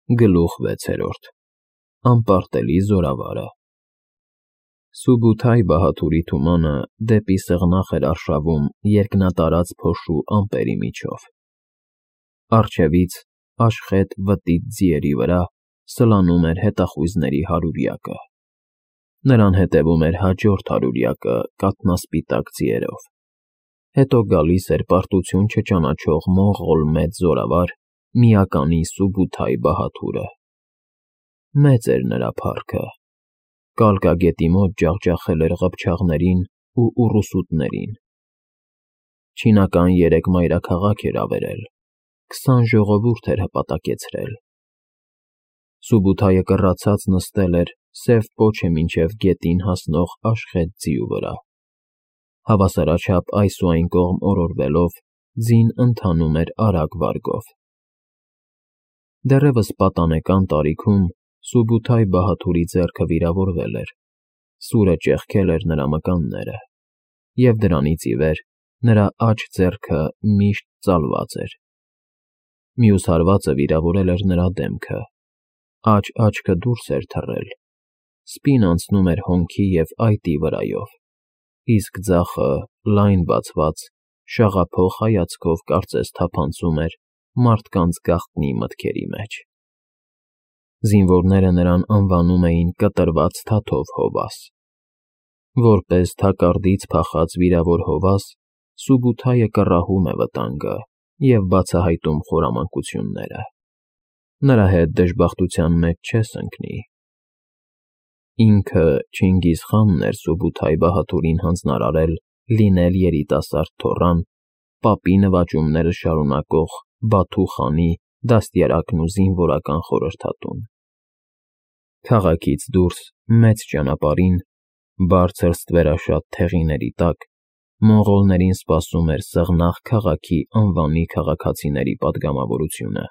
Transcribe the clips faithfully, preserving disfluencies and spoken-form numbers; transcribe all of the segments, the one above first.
Գլուխ վեցերորդ Անպարտելի զորավարը Սուբութայ Բահաթուրի թումանը դեպի սեղնախ էր արշավում երկնատարած փոշու ամպերի միջով։ Առջևից, աշխետ վտիտ ձիերի վրա, սլանում էր հետախույզների հարյուրյակը։ Նրան հետևում էր հաջորդ հարյուրյակը կաթնասպիտակ ձիերով։ Հետո գալիս էր պարտություն չճանաչող մոնղոլ մեծ զորավար, միականի Սուբութայ Բահաթուրը։ Մեծ էր նրա փառքը։ Կալկագետի մոտ ջախջախել էր ղփչաղներին ու ուռուսուտներին։ Չինական երեք մայրաքաղաք էր ավերել, քսան ժողովուրդ էր հպատակեցրել։ Սուբութայը կռացած նստել էր սև պոչը մինչև գետին հասնող աշխետ ձիու վրա։ Հավասարաչափ այս ու այն կողմ օրորվելով, ձին ընթանում էր արագ վարգով։ Դեռևս պատանեկան տարիքում Սուբութայ Բահաթուրի ձեռքը վիրավորվել էր, սուրը ճեղքել էր նրա մկանները, և դրանից ի վեր նրա աջ ձեռքը միշտ ծալված էր։ Մյուս հարվածը վիրավորել էր նրա դեմքը, աջ աչքը դուրս էր թռել, սպին անցնում էր հոնքի և այտի վրայով, իսկ ձախը, լայն բացված, շաղափոխ հայացքով կարծես թափանցում էր մարդկանց գաղտնի մտքերի մեջ։ Զինվորները նրան անվանում էին Կտրված Թաթով Հովաս։ Որպես թակարդից փախած վիրավոր հովաս, Սուբութայը կռահում է վտանգը և բացահայտում խորամանկությունները։ Նրա հետ դժբախտության մեջ չես ընկնի։ Ինքը Չինգիզ խանն էր Սուբութայ Բահաթուրին հանձնարարել լինել երիտասարդ թոռան, պապի նվաճումները շարունակող Բաթու խանի դաստիարակն ու զինվորական խորհրդատուն։ Քաղաքից դուրս, մեծ ճանապարհին, բարձր ստվերաշատ թեղիների տակ, մոնղոլներին սպասում էր Սեղնաղ քաղաքի անվանի քաղաքացիների պատգամավորությունը,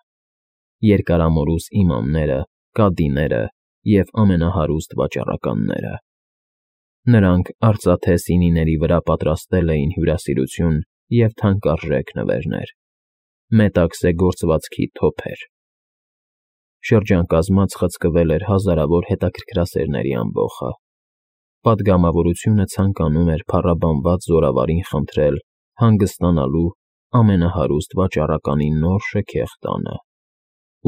երկարամորուս իմամները, կադիները և ամենահարուստ վաճառականները։ Նրանք արծաթե սինիների վրա պատրաստել էին հյուրասիրություն և թանկարժեք նվերներ, մետաքսե գործվածքի թոփեր։ Շրջան կազմած խցկվել էր հազարավոր հետաքրքրասերների ամբոխը։ Պատգամավորությունը ցանկանում էր փառաբանված զորավարին խնդրել հանգստանալու ամենահարուստ վաճառականի նոր շքեղ տանը,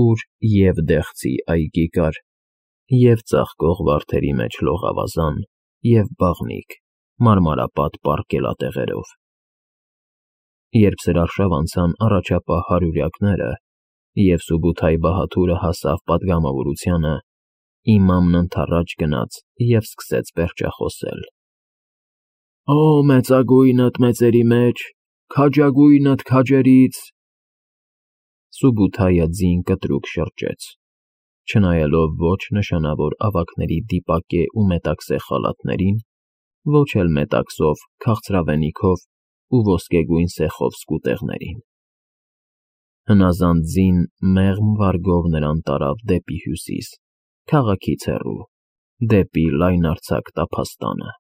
ուր և՛ դեղցի այգի կար, և՛ ծաղկող վարդերի մեջ լողավազան, և՛ բաղնիք՝ մարմարապատ պառկելատեղերով։ Երբ սրարշավ անցան առաջապահ հարյուրյակները, և Սուբութայ Բահաթուրը հասավ պատգամավորությանը, իմամն ընդառաջ գնաց և սկսեց պերճախոսել. «Ո մեծագույնդ մեծերի մեջ, քաջագույնդ քաջերից…» Սուբութայը ձին կտրուկ շրջեց, չնայելով ոչ նշանավոր ավագների դիպակե ու մետաքսե խալաթներին, ոչ էլ մետաքսով, քաղցրավենիքով ու ոսկեգույն սեխով սկուտեղներին։ Հնազանդ ձին մեղմ վարգով նրան տարավ դեպի հյուսիս, քաղաքից հեռու, դեպի լայնարձակ տափաստանը։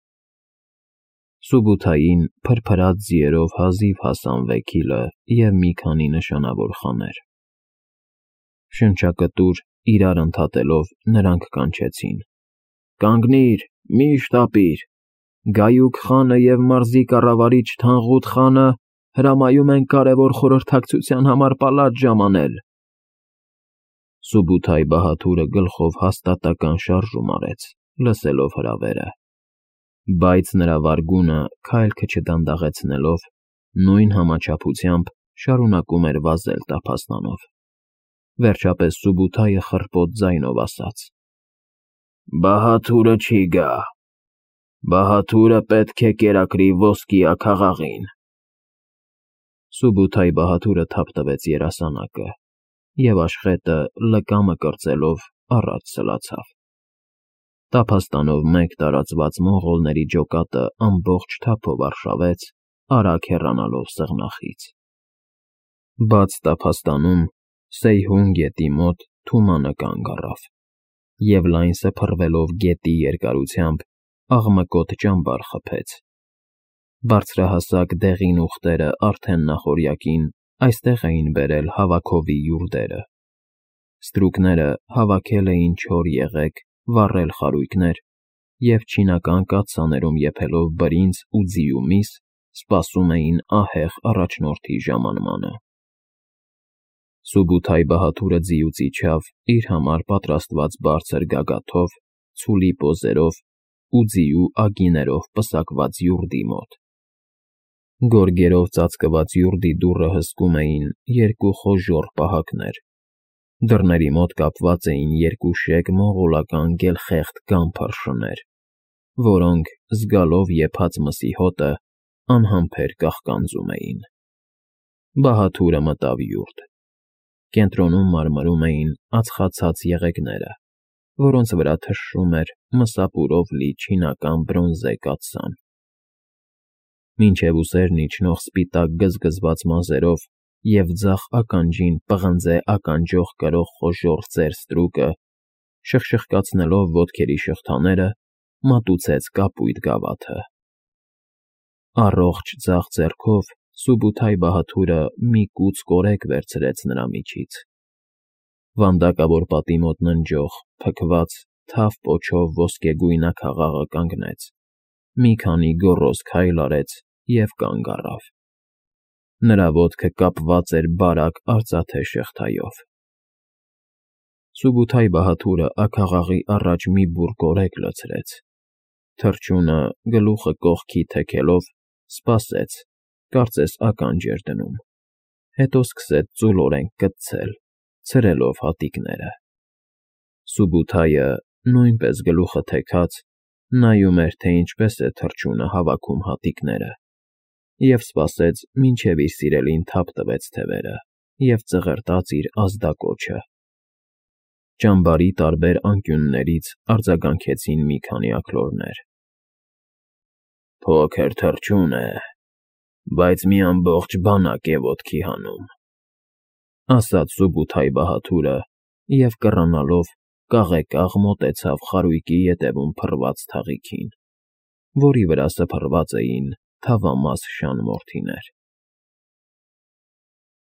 Սուբութային փրփրած ձիերով հազիվ հասան վեքիլը և մի քանի նշանավոր խաներ։ Շնչակտուր իրար ընդհատելով նրանք կանչեցին. «Կանգնիր, մի՛ շտապիր, Գայուկ խանը և մարզի կառավարիչ Թանղուտ խանը հրամայում են կարևոր խորհրդակցության համար պալատ ժամանել»։ Սուբութայ Բահաթուրը գլխով հաստատակամ շարժում արեց, լսելով հրավերը, բայց նրա վարգունը, քայլքը չդանդաղեցնելով, նույն համաչափությամբ շարունակում էր վազել տափաստանով։ Վերջապես Սուբութայը խռպոտ ձայնով ասաց. «Բահաթուրը չի գա։ Բահաթուրը պետք է կերակրի ոսկի աքաղաղին»։ Սուբութայ Բահաթուրը թափ տվեց երասանակը, և աշխետը, լկամը կրծելով, առաջ սլացավ։ Տափաստանով մեկ տարածված մոնղոլների ջոկատը ամբողջ թափով արշավեց, արագ հեռանալով սեղնախից։ Բաց տափաստանում, Սեյհուն գետի մոտ թումանը կանգ առավ, և լայն սփռվելով գետի երկարությամբ, աղմկոտ ճամբար խփեց։ Բարձրահասակ դեղին ուղտերը արդեն նախօրյակին այստեղ էին բերել հավաքովի յուրդերը։ Ստրուկները հավաքել էին չոր եղեգ, վառել խարույկներ և չինական կաթսաներում եփելով բրինձ ու ձիու միս, սպասում էին ահեղ առաջնորդի ժամանմանը։ Սուբութայ-Բահադուրը ձիուց իջավ իր համար պատրաստված բարձր գագաթով, ցուլի պոզերով ու ձիու ագիներով պսակված յուրդի մոտ։ Գորգերով ծածկված յուրդի դուռը հսկում էին երկու խոժոռ պահակներ։ Դռների մոտ կապված էին երկուշեք մոնղոլական գելխեղտ գան փռշներ, որոնք, զգալով եփած մսի հոտը, անհամբեր կաղկանձում էին։ Բահադուրը մտավ յուրդ։ Կենտրոնում մարմրում էին ածխացած եղեգները, որոնց վրա թշրում էր մսապուրով լի չինական բրոնզե կաթսան։ Մինչև ուսերն իջնող սպիտակ գզգզված մազերով և ձախ ականջին պղնձե ականջող կրող խոժոռ ծեր ստրուկը, շխշխկացնելով ոտքերի շղթաները, մատուցեց կապույտ գավաթը։ Առողջ ձախ ձեռքով Սուբութայ-Բահադուրը մի կուց կորեկ վերցրեց նրա միջից։ Վանդակավոր պատի մոտ ննջող, փքված, թավ պոչով ոսկեգույն աքաղաղը կանգնեց, մի քանի գոռոզ քայլ արեց և կանգ առավ։ Նրա ոտքը կապված էր բարակ արծաթե շղթայով։ Սուբութայ-Բահադուրը աքաղաղի առաջ մի բուռ կորեկ լցրեց։ Թռչունը, գլուխը կողքի թեքելով, սպասեց, կարծես ականջ էր դնում, հետո սկսեց ծուլորեն կծցել, ցրելով հատիկները։ Սուբութայը, նույնպես գլուխը թեքած, նայում էր, թե ինչպես է թռչունը հավաքում հատիկները, և սպասեց, մինչև իր սիրելին թափ տվեց թևերը և ծղրտաց իր ազդակոչը։ Ճամբարի տարբեր անկյուններից արձագանքեցին մի քանի աքլորներ։ «Փոքր թռչուն է, բայց մի ամբողջ բանակ է ոտքի հանում», ֊ ասաց Սուբութայ-Բահադուրը և, կռանալով, կաղեկաղ մոտեցավ խարույկի ետևում փռված թաղիքին, որի վրա սփռված էին թավամաս շան մորթիներ։